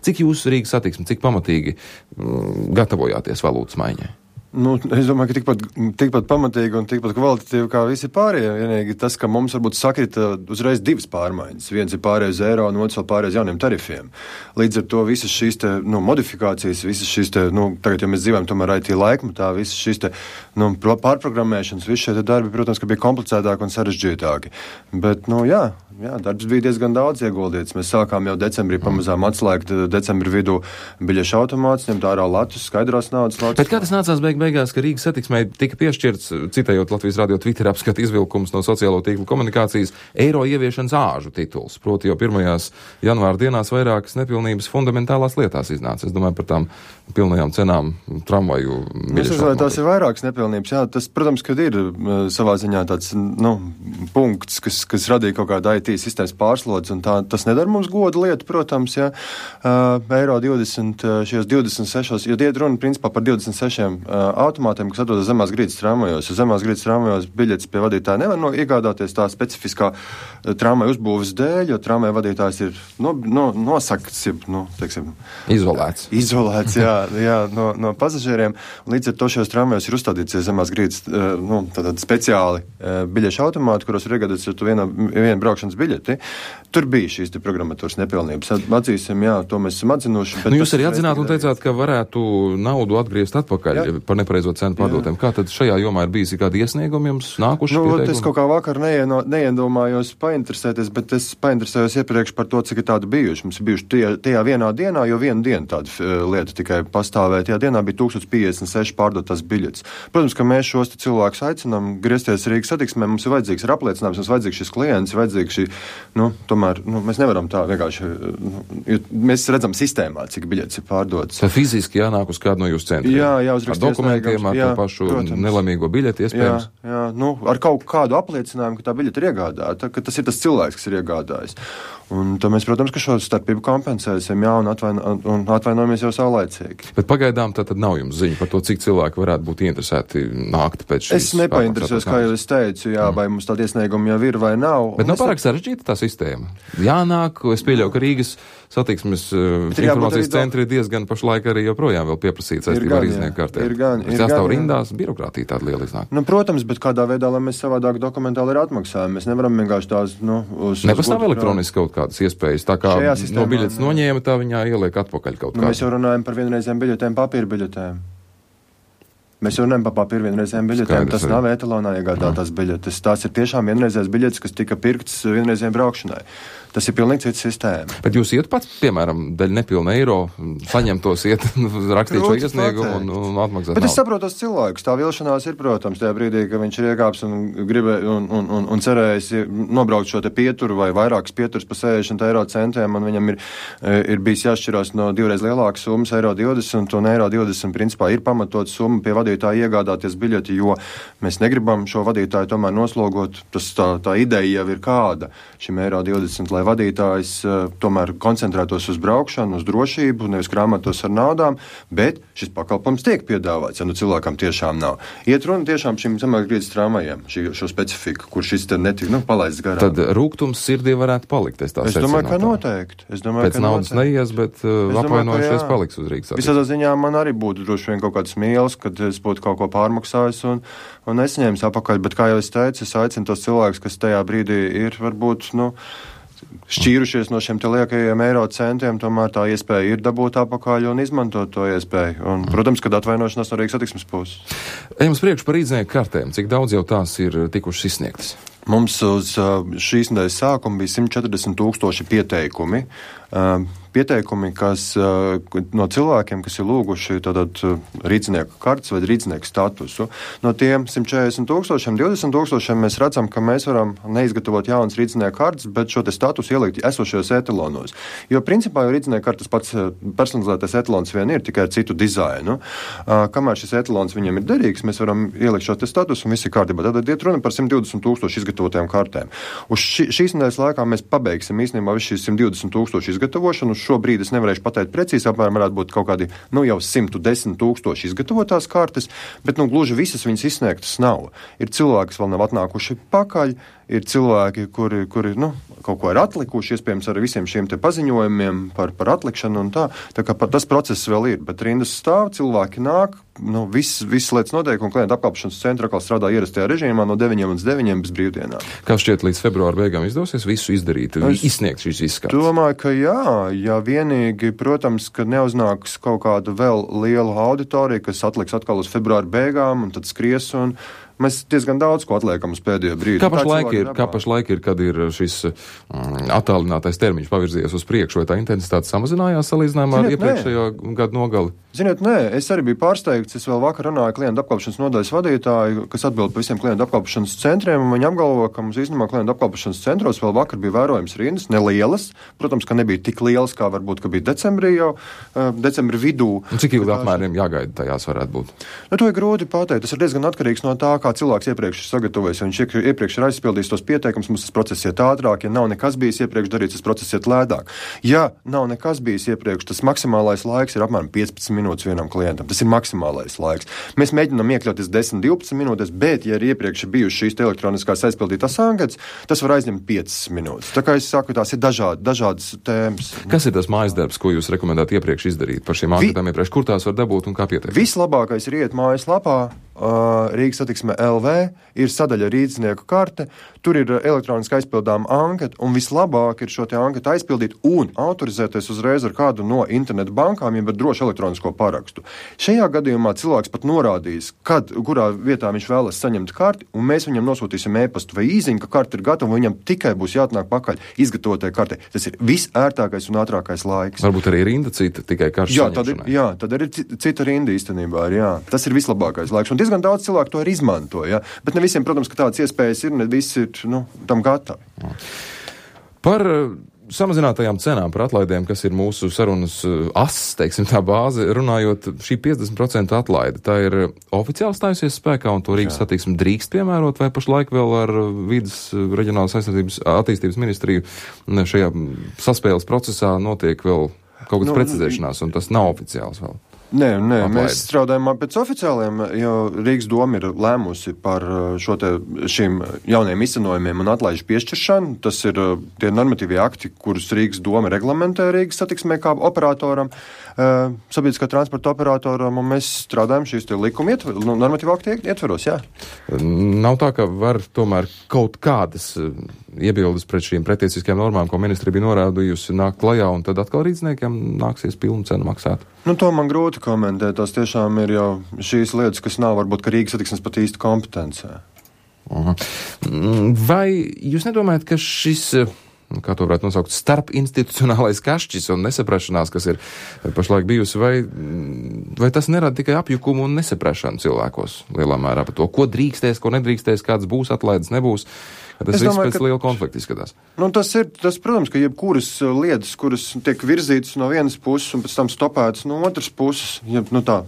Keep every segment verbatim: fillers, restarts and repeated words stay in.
Cik jūs Rīgas satiksmi, cik pamatīgi mm, gatavojāties valūtas maiņai? Nu, es domāju, ka tikpat, tikpat pamatīgi un tikpat kvalitatīvi kā visi pārējie. Vienīgi tas, ka mums varbūt sakrita uzreiz divas pārmaiņas. Viens ir pārējais eiro un otrs vēl pārējais jauniem tarifiem. Līdz ar to visas šīs te, nu, modifikācijas, visas šīs te, nu, tagad, ja mēs dzīvojam tomēr I T laikmatā, visas šīs te, nu, pārprogrammēšanas, visi šie darbi, protams, ka bija komplicētāki un sarežģītāki. Bet, nu, jā, jā, darbs bija diezgan daudz ieguldīts. Mēs sākām jau decembrī pamazām atslēgt decembri vidū biļešu automātus, ņemt ārā latus, skaidrās naudas latus. Bet kā tas nācās beig beigās, ka Rīgas satiksmē tika piešķirts, citējot Latvijas radio Twitter apskata izvilkums no sociālo tīklu komunikācijas, eiro ieviešanas āžu tituls. Proti jau pirmajās janvāra dienās vairākas nepilnības fundamentālās lietās iznāca. Es domāju par tām pilnajām cenām tramvaju biļešu. Es domāju, tās ir vairākas nepilnības. Jā, tas, protams, kad ir savā ziņā tāds, nu, punkts, kas, kas radīja kaut kādu I T sistēmas pārslodzi, un tā, tas nedara mums godu lietu, protams, jā. Uh, eiro divdesmit, šajos divdesmit sešos, jo iet runa principā par divdesmit sešiem uh, automātiem, kas atrodas zemās grīdas tramvajos. Zemās grīdas tramvajos biļetes pie vadītāja nevar no, iegādāties tā specifiskā uh, tramvaja uzbūves dēļ, jo tramvaja vadītājs ir no, no, nosakts, nu, teiksim, izolēts. Izolēts, jā, jā no, no pasažieriem. Līdz ar to šajos tramvajos ir uzstādīts zemās grīdas, uh, nu, tātad speciāli uh, biļešu automāti, kuros ir iegādāts ar to vienu, vienu braukšanas biļeti. Tur bija šīs te programmatūras nepilnības. Atzīsim, jā, to mēs esam atzinuši. Nu, jūs arī atzināt un teicāt, ka varētu naudu atgriezt atpakaļ jā. Par nepareizo cenu pārdotiem. Kā tad šajā jomā ir bijis kādi iesniegumi jums nākuši? Nu, es kaut kā vakar neieno, neiedomājos painteresēties, bet es painteresējos iepriekš par to, cik ir tādi bijuši. Mums ir bijuši tie, tajā vienā dienā, jo vienu dienu tāda uh, lieta tikai pastāvēja. Tajā dienā bija tūkstoš piecdesmit seši pārdotās biļetes. Protams, ka mēs šos cilvēkus aicinām griezties Rīgas satiksmē. Mums ir vajadzīgs ir apliecinājums, mums ir vajadzīgs šis klients, ir vajadzīgs šī, nu, tomēr, nu, mēs nevaram tā vienkārši, nu, mēs redzam sistēmā, cik biļetes ir pārdotas. Tā fiziski jānāk uz kādu no jūsu centriem. Jā, jāuzrakst dokumentiem, ar jā, to pašu protams. Nelamīgo biļeti, iespējams. Jā, jā, nu, ar kaut kādu apliecinājumu, ka tā biļete ir iegādāta, ka tas ir tas cilvēks, kas ir iegādājis. Un tad mēs, protams, ka šo starpību kompensēsim, jā, un, atvaino, un atvainojamies jau saulaicīgi. Bet pagaidām tā tad nav jums ziņa par to, cik cilvēki varētu būt interesēti nākt pēc šīs. Es nepainteresējos, kā jau es teicu, jā, mm. vai mums tādi iesniegumi jau ir vai nav. Bet nav pārāk sarežģīta tā sistēma. Jānāk, es pieļauju, ka Rīgas satiksmes uh, informācijas centri ir diezgan pašlaik arī joprojām vēl pieprasīts saistībā ar iznieku kartēm. Ir gan, ir jāstāv gan. rindās, birokrātija tāda liela iznāk. Nu, protams, bet kādā veidā, lai mēs savādāk dokumentāli ir atmaksājumi. Mēs nevaram vienkārši tās, nu, uz... Nepastāv elektroniski kaut kādas iespējas, tā kā no biļetes noņēma, tā viņā ieliek atpakaļ kaut nu, kā. Mēs jau runājam par vienreizēm biļetēm, papīra biļetēm. Mēs jau runājam par papīra vienreizējām biļetēm. Skaidrs, tas arī. Nav etalonā iegādātās biļetes. Tās ir tiešām vienreizējas biļetes, kas tika pirktas vienreizējām braukšanai. Tas ir pilnīgi cits sistēma. Bet jūs iet pats, piemēram, daļ nepilna eiro, saņemtos iet, rakstīt šo iesniegumu un, un atmaksāt. Bet nav. Es saprotu tos cilvēkus. Tā vilšanās ir, protams, tajā brīdī, ka viņš ir iekāps un gribē un, un, un, un cerējis nobraukt šo te pieturu vai vairākas pieturas pa sešdesmit eiro centiem, un viņam ir, ir bijis jāšķirās no divreiz lielākas summas, eiro divdesmit, un eiro divdesmit principā ir pamatot summa pie vadītāja iegādāties biļeti, jo mēs negribam šo vadītāju tomēr noslogot. Tas tā, tā ideja jau ir kāda šim eiro divdesmit, lai vadītājs uh, tomēr koncentrētos uz braukšanu, uz drošību, nevis krāmētos ar naudām, bet šis pakalpojums tiek piedāvāts, ja nu cilvēkam tiešām nav. Iet runa tiešām šim zemākgrīdas tramvajiem, šī, šo specifiku, kur šis te netika, nu, palaists garām. Tad rūgtums sirdī varētu palikt, es tā Es domāju, ka noteikti. Es domāju, Pēc ka naudas noteikti. neies, bet uh, apvainojušies paliks uz Rīgas. Visādā ziņā man arī būtu droši vien kaut kāds mīls, kad es būtu kaut ko pārmaksājis un, un nesņēmis apakaļ, bet kā jau es teicu, es aicinu tos cilvēkus, kas tajā brīdī ir, varbūt, nu, šķīrušies no šiem te liekajiem eiro centiem, tomēr tā iespēja ir dabūt apakaļ un izmantot to iespēju. Un, protams, kad atvainošanās no Rīgas satiksmes puses. Ejam uz priekšu par rīznieku kartēm. Cik daudz jau tās ir tikušas izsniegtas? Mums uz šīs nedēļas sākuma bija simt četrdesmit tūkstoši pieteikumi. Pieteikumi, kas no cilvēkiem, kas ir lūguši tātad rīznieku kartes vai rīznieku statusu. No tiem simt četrdesmit tūkstošiem, divdesmit tūkstošiem mēs redzam, ka mēs varam neizgatavot jaunas rīznieku kartes, bet šo te statusu ielikt esošajos etalonos. Jo principā jau rīznieku kartes pats personalizētais etalons vien ir, tikai ar citu dizainu. Kamēr šis etalons viņam ir derīgs, mēs varam ielikt šo te statusu un viss ir kārtībā. Tātad iet runa par simt divdesmit tūkstoši izgatavotajām kartēm. Uz ši, šīs nedēļas laikā mēs pabeigsim īstenībā visu šīs simt divdesmit tūkstoši izgatavošanu. šobrīd es nevarēšu pateikt precīzi, apmēram varētu būt kaut kādi, nu, jau simt desmit tūkstoši izgatavotās kartes, bet, nu, gluži visas viņas izsniegtas nav. Ir cilvēki, kas vēl nav atnākuši pakaļ, ir cilvēki, kuri, kuri nu, kaut ko ir atlikuši, iespējams ar visiem šiem te paziņojumiem par, par atlikšanu un tā. Tā kā tas process vēl ir, bet rindas stāv, cilvēki nāk, nu, viss, viss lietas notiek, un klientu apkalpošanas centra atkal strādā ierastajā režīmā no deviņiem līdz deviņiem bez brīvdienām. Kā šķiet, līdz februāra beigām izdosies visu izdarīt, es izsniegt šīs izskats? Domāju, ka jā, ja vienīgi, protams, ka neuznāks kaut kāda vēl liela auditorija, kas atliks atkal uz februāra beigām, un tad skries un mēs diezgan daudz ko atliekam uz pēdējo brīdi. Kā pašlaik ir, kā pašlaik ir, kad ir šis mm, attālinātais termiņš pavirzījies uz priekšu, vai tā intensitāte samazinājās salīdzinājumā ar iepriekšējo gadu nogali? Ziniet, nē, es arī biju pārsteigts. Es vēl vakar runāju klientu apkalpošanas nodaļas vadītāju, kas atbild par visiem klientu apkalpošanas centriem, un viņi apgalvo, ka mums īstenībā klientu apkalpošanas centros vēl vakar bija vērojams rindas, nelielas. Protams, ka nebija tik lielas, kā varbūt, ka bija decembrī jau, uh, decembra vidū. Un cik ilgi apmēram jāgaida tajās varētu būt? Nu, to ir grūti pateikt. Tas ir diezgan atkarīgs no tā, kā cilvēks iepriekš ir sagatavojis. Ja viņš iepriekš ir aizpildījis tos pieteikumus, mums tas process iet ātrāk. Ja nav nekas bijis iepriekš darīts, tas process iet lētāk. Ja nav nekas bijis iepriekš, tas maksimālais laiks ir apmēram piecpadsmit minūtes vienam klientam. Tas ir maksimālais laiks. Mēs mēģinām iekļauties desmit divpadsmit minūtes, bet, ja ir iepriekš bijušas šīs elektroniskās aizpildītās anketas, tas var aizņemt piecas minūtes. Tā kā es saku, tās ir dažādi, dažādas tēmas. Kas ir tas mājas darbs, ko jūs rekomendētu iepriekš izdarīt par šīm anketām iepriekš? Kur tās var dabūt un kā pieteikt? Vislabākais ir iet mājaslapā. Uh, Rīgas satiksme L V ir sadaļa rīznieku karte, tur ir elektroniski aizpildām anketa, un vislabāk ir šo te anketu aizpildīt un autorizēties uzreiz ar kādu no internetu bankām, ja ar drošu elektronisko parakstu. Šajā gadījumā cilvēks pat norādīs, kad, kurā vietā viņš vēlas saņemt karti, un mēs viņam nosūtīsim e-pastu vai īziņu, ka karta ir gatava, un viņam tikai būs jāatnāk pakaļ izgatavotai kartei. Tas ir visērtākais un ātrākais laiks. Varbūt arī rinda cita, tikai karšu jā, tad ir, jā, tad ir cita rinda īstenībā. Jā. Tas ir vislabākais laiks. Un diezgan daudz cilvēku to ir izmanto, ja? Bet ne visiem, protams, ka tādas iespējas ir, ne visi ir, nu, tam gatavi. Par samazinātajām cenām, par atlaidēm, kas ir mūsu sarunas ass, teiksim tā bāze, runājot, šī piecdesmit procentu atlaide, tā ir oficiāli stājusies spēkā, un to Rīgas satiksme drīkst piemērot, vai pašlaik vēl ar vidas reģionālas aizsardzības attīstības ministriju šajā saspēles procesā notiek vēl kaut kāds nu, precizēšanās, un tas nav oficiāls vēl? Nē, nē, Atlaidi. Mēs strādājam pēc oficiāliem, jo Rīgas doma ir lēmusi par šo te, šīm jauniem izcenojumiem un atlaižu piešķiršanu. Tas ir tie normatīvie akti, kurus Rīgas doma reglamentē Rīgas satiksmē kā operatoram, sabiedriskā transporta operatoram, un mēs strādājam šīs te likuma ietver, normatīvu aktu ietveros, jā. Nav tā, ka var tomēr kaut kādas iebildes pret šīm pretiesiskajām normām, ko ministri bija norādījusi, nāk klajā, un tad atkal rīdzniekiem nāksies pilnu cenu maksāt? Nu, to man grūti komentēt. Tās tiešām ir jau šīs lietas, kas nav varbūt, ka Rīgas satiksmes pat īsti kompetencē. Uh-huh. Vai jūs nedomājat, ka šis, kā to varētu nosaukt, starpinstitucionālais kašķis un nesaprašanās, kas ir pašlaik bijusi, vai, vai tas nerada tikai apjukumu un nesaprašanu cilvēkos lielā mērā par to, ko drīkstēs, ko nedrīkstēs, kāds būs atlaides, nebūs? Tas viss pēc ka, liela konflikta izskatās. Nu, tas ir, tas, protams, ka jebkuras lietas, kuras tiek virzītas no vienas puses un pēc tam stopētas no otras puses, ja, nu tā,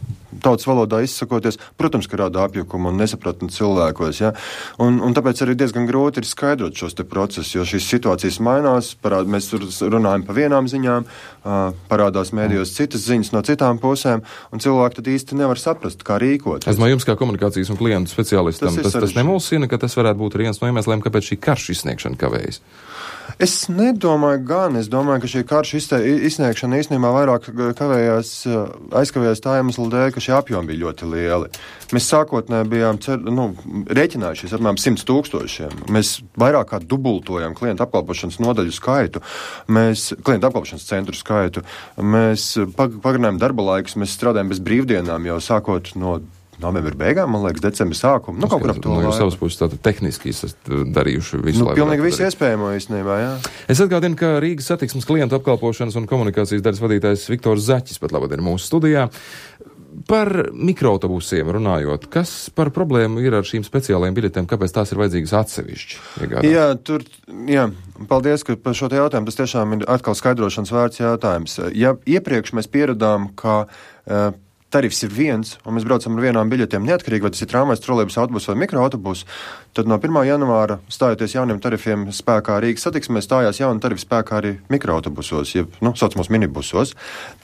tautas valodā izsakoties, protams, ka rada apjukumu un nesapratni cilvēkos, ja? un, un tāpēc arī diezgan grūti ir skaidrot šos te procesus, jo šīs situācijas mainās, parād, mēs runājam pa vienām ziņām, parādās mēdījos citas ziņas no citām pusēm, un cilvēki tad īsti nevar saprast, kā rīkoties. Es no jums kā komunikācijas un klientu speciālistam, tas, tas, tas nemulsina, ka tas varētu būt viens no iemesliem, kāpēc šī karšu izsniegšana kavējas? Es nedomāju gan. Es domāju, ka šī karšu izsniegšana īstenībā vairāk kavējās, aizkavējās tā iemesla dēļ, ka šie apjomi bija ļoti lieli. Mēs sākotnēji bijām cer, nu, rēķinājušies apmēram simts tūkstošiem. Mēs vairāk kā dubultojam klientu apkalpošanas nodaļu skaitu, mēs klientu apkalpošanas centru skaitu. Mēs pagarinājām darba laikus, mēs strādājam bez brīvdienām jau sākot no novembra beigām, man liekas, decembra sākuma. Nu, kaut kur ap to laiku. No savas puses tātad tehniski esat darījuši visu nu, laiku. Pilnīgi visu iespējamo īstenībā, jā. Es atgādinu, ka Rīgas satiksmes klientu apkalpošanas un komunikācijas daļas vadītājs Viktors Zaķis pat labāk ir mūsu studijā. Par mikroautobusiem runājot, kas par problēmu ir ar šīm speciālajām biļetēm, kāpēc tās ir vajadzīgas atsevišķi? Iegādāt? Jā, tur, jā, paldies, ka par šo te jautājumu, tas tiešām ir atkal skaidrošanas vērts jautājums. Ja iepriekš mēs pieradām, ka uh, tarifs ir viens, un mēs braucam ar vienām biļetēm neatkarīgi, vai tas ir tramvajs, trolejbus, autobus vai mikroautobus, tad no pirmā janvāra stājoties jauniem tarifiem spēkā Rīgas satiksmē, stājās jauni tarifi spēkā arī mikroautobusos, jeb, nu, saucamos minibusos.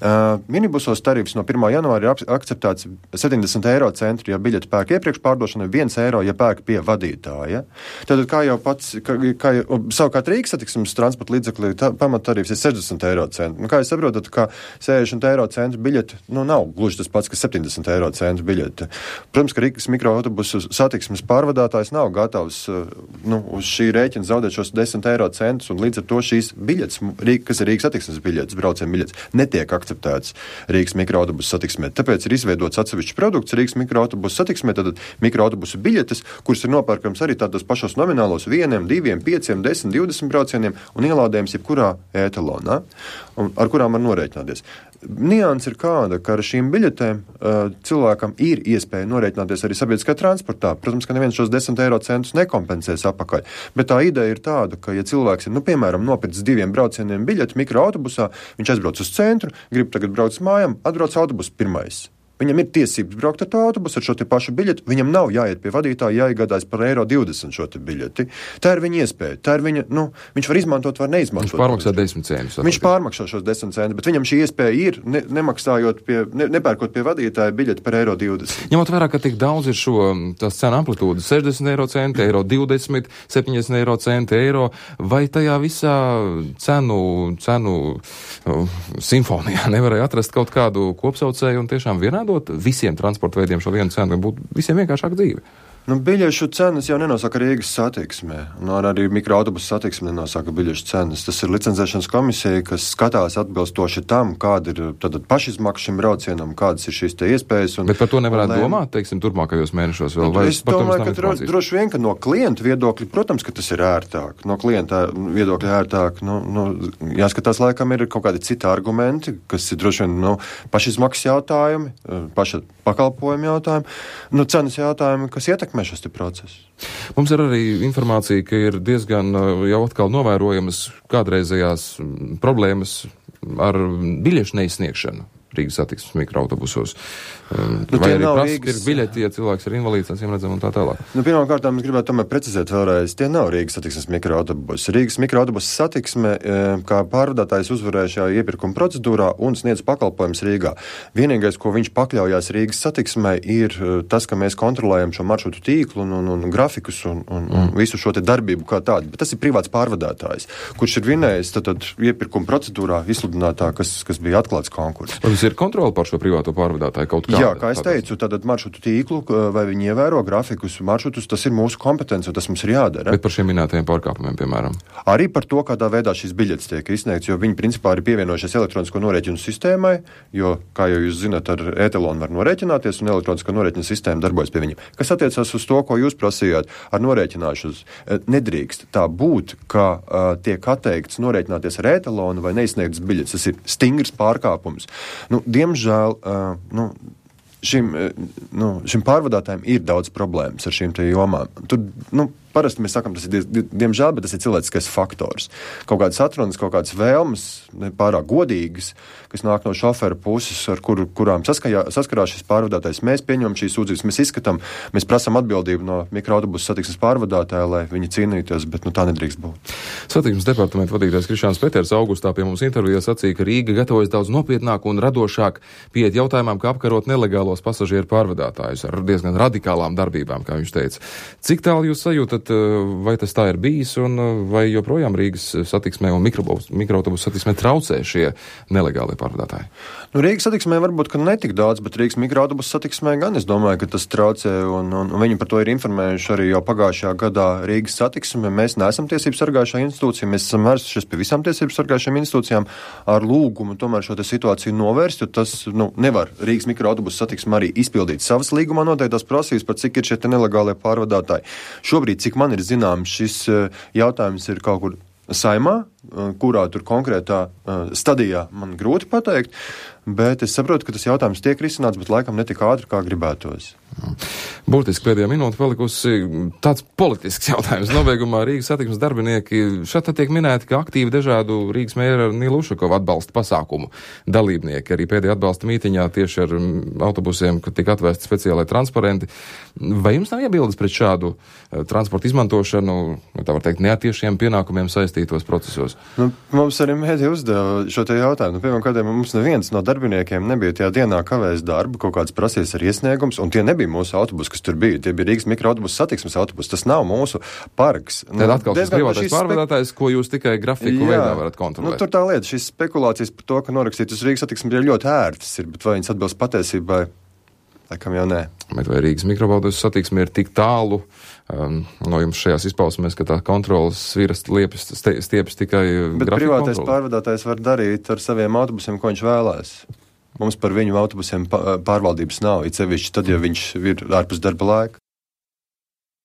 Uh, minibusos tarifs no pirmā janvāra ir ap, akceptēts septiņdesmit eiro centri, ja biļeti pērk iepriekš pārdošana, viens eiro, ja pērk pie vadītāja. Tātad, kā jau pats, kā, kā jau, savukārt Rīgas satiksmes transporta līdzekļi pamattarifs ir sešdesmit eiro centri. Nu, kā jūs saprotat, ka sešdesmit eiro centru biļeti, nu, nav gluži tas pats, kas septiņdesmit eiro centu biļete. Protams, ka Rīgas mikroautobusu satiksmes pārvadātājs nav gatavs nu, uz šī rēķina zaudēt šos desmit eiro centus, un līdz ar to šīs biļetes, kas ir Rīgas satiksmes biļetes, braucienu biļetes, netiek akceptētas Rīgas mikroautobusu satiksmē. Tāpēc ir izveidots atsevišķs produkts Rīgas mikroautobusu satiksmē, tātad mikroautobusu biļetes, kuras ir nopērkams arī tādos pašos nominālos vieniem, diviem, pieciem, desmit, divdesmit braucieniem un ielādējums jebkurā ētalonā, ar kurām var norēķināties. Nianses ir kāda, ka ar šīm biļetēm uh, cilvēkam ir iespēja norēķināties arī sabiedriskajā transportā. Protams, ka neviens šos desmit eiro centus nekompensēs apakaļ, bet tā ideja ir tāda, ka ja cilvēks ir, nu, piemēram, nopircis diviem braucieniem biļeti mikroautobusā, viņš aizbrauc uz centru, grib tagad braukt uz mājām, atbrauc autobus pirmais. Viņam ir tiesības braukt ar to autobusu, ar šo te pašu biļeti. Viņam nav jāiet pie vadītāja, jāiegādājas par eiro divdesmit šo te biļeti. Tā ir viņa iespēja. Tā ir viņa, nu, viņš var izmantot, var neizmantot. Viņš pārmaksā desmit centus. Viņš pārmaksā šos desmit centus, bet viņam šī iespēja ir, ne, nemaksājot pie, ne, nepērkot pie vadītāja biļeti par eiro divdesmit. Ņemot vērā, ka tik daudz ir šo tās cenu amplitūdas, sešdesmit eiro centi, eiro divdesmit, septiņdesmit eiro centi, eiro, vai tajā visā cenu, cenu uh, simfonijā nevarēja atrast kaut kādu kopsaucēju un tiešām vienādot visiem transporta veidiem šo vienu cenu, būtu visiem vienkāršāk dzīve? Nu, biļešu cenas jau nenosaka Rīgas satiksmē, un arī mikroautobusu satiksme nenosaka biļešu cenas. Tas ir licencēšanas komisija, kas skatās atbilstoši tam, kāda ir tad pašizmaksa šim braucienam, kādas ir šīs te iespējas. Un, bet par to nevarētu lēm... domāt, teiksim, turpmākajos mēnešos vēl? Es domāju, ka droši, droši vien, ka no klienta viedokļa, protams, ka tas ir ērtāk. No klienta viedokļa ērtāk. Nu, nu, jāskatās, laikam ir kaut kādi citi argumenti, kas ir droši vien nu, pašizmaksas jautājumi, paša pakalpojuma jautājumi, nu, cenas jautājumi, kas ietekmē šis te process. Mums ir arī informācija, ka ir diezgan jau atkal novērojamas kādreizējās problēmas ar biļešu neizsniegšanu Rīgas satiksmes mikroautobusos. Nu, vai arī prasa Rīgas... ir biļeti, ja cilvēks ir invalīds, acīm redzam, un tā tālāk. Nu, pirmkārt, mēs gribētu tomēr precizēt vēlreiz, tie nav Rīgas satiksmes mikroautobusi. Rīgas mikroautobusu satiksme, kā pārvadātājs uzvarēja šajā iepirkuma procedūrā un sniedz pakalpojums Rīgā. Vienīgais, ko viņš pakļaujās Rīgas satiksmē, ir tas, ka mēs kontrolējam šo maršrutu tīklu un, un, un grafikus un, un, un mm. visu šo te darbību kā tādu. Bet tas ir privāts pārvadātājs, kurš ir vinējis tad, tad iepirkuma procedūrā izsludinātā, kas, kas bija atklāts konkurss. Ir kontrole pār šo privāto pārvadātāju kaut kādā? Jā, kā es teicu, tad maršrutu tīklu, vai viņi ievēro grafikus, maršrutus, tas ir mūsu kompetence, un tas mums ir jādara. Bet par šiem minētajiem pārkāpumiem, piemēram? Arī par to, kādā veidā šīs biļetes tiek izsniegts, jo viņi principā ir pievienojušies elektronisko norēķinu sistēmai, jo, kā jau jūs zināt, ar e-telonu var norēķināties, un elektronisko norēķinu sistēma darbojas pie viņiem. Kas attiecas uz to, ko jūs prasījāt ar norēķināšanos, nedrīkst tā būt, ka uh, tiek atteikts norēķināties ar e-telonu vai neizsniegtas biļetes. Tas ir stingrs pārkāpums. Nu, diemžēl, uh, nu, šim, uh, nu, šim pārvadātājiem ir daudz problēmas ar šīm te jomām. Tur, nu, parasti mēs sakam, tas ir, diemžēl, bet tas ir cilvēciskais faktors. Kaut kādas atrunas, kaut kādas vēlmes, pārāk godīgas, kas nāk no šofera puses, ar kur, kurām saskajā, saskarās šis pārvadātājs. Mēs pieņemam šīs sūdzības, mēs izskatām, mēs prasam atbildību no mikroautobusu satiksmes pārvadātāja, lai viņi cīnītos, bet nu, tā nedrīkst būt. Satiksmes departamenta vadītājs Krišāns Peters augustā pie mums intervijā sacīja, ka Rīga gatavojas daudz nopietnāk un radošāk pieiet jautājumam, kā apkarot nelegālos pasažieru pārvadātājus ar diezgan radikālām darbībām, kā viņš teica. Cik tālu jūs sajūtat, vai tas tā ir bijis, un vai joprojām Rīgas satiksmē un mikroautobusu satiksmē traucē šie nelegālie pārvadātāji? Nu, Rīgas satiksmē varbūt, ka netik daudz, bet Rīgas mikroautobusu satiksmē gan es domāju, ka tas traucē, un, un, un viņi par to ir informējuši arī jau pagājušajā gadā Rīgas satiksmē. Mēs neesam tiesības sargājušā institūcija, mēs esam vērsušies pie visām tiesības sargājušām institūcijām ar lūgumu tomēr šo te situāciju novērst, jo tas, nu, nevar Rīgas mikroautobusu satiksme arī izpildīt savas līgumā noteiktās prasības, par cik ir šie te nelegālie pārvadātāji. Šobrīd, cik man ir zināms, šis jautājums ir kaut kur Saimā, kurā tur konkrētā stadijā man grūti pateikt, bet es saprotu, ka tas jautājums tiek risināts, bet laikam netik ātri, kā gribētos. Burtiski pēdējā minūte palikusi tāds politisks jautājums. Nobeigumā Rīgas satiksmes darbinieki šeit tiek minēti, ka aktīvi dažādu Rīgas mēra Nīlu Ušakovu atbalsta pasākumu dalībnieki. Arī pēdējā atbalsta mītiņā tieši ar autobusiem, kad tika atvēsti speciālai transparenti. Vai jums nav iebildes pret šādu uh, transporta izmantošanu, tā var teikt, neatiešiem pienākumiem saistītos procesos? Nu, mums arī mēdī uzdeva šo te jautājumu. Nu, pirmām kādiem mums neviens no darbiniekiem nebija tajā dienā kavējis darbu, kaut kāds prasīs ar iesniegums, un tie nebija mūsu autobusi, kas tur bija. Tie bija Rīgas mikroautobusu satiksmes autobusi. Tas nav mūsu parks. Nu, tad atkal šis privātais pārvadātājs, ko jūs tikai grafiku jā, veidā varat kontrolēt. Nu, tur tā lieta, šīs spekulācijas par to, ka norakstītas Rīgas satiksmes ir ļoti ērtas, ir, bet vai viņas atbilst patiesībai? Laikam jau nē. Bet vai Rīgas mikroautobusu satiksme ir tik tālu um, no jums šajās izpausmēs, ka tā kontrolas sviras liepjas stiepjas tikai bet grafiku privātais kontroli? Pārvadātājs var darīt ar saviem autobusiem, ko viņš vēlēs. Mums par viņu autobusiem pārvaldības nav, it sevišķi tad, ja viņš ir ārpus darba laika.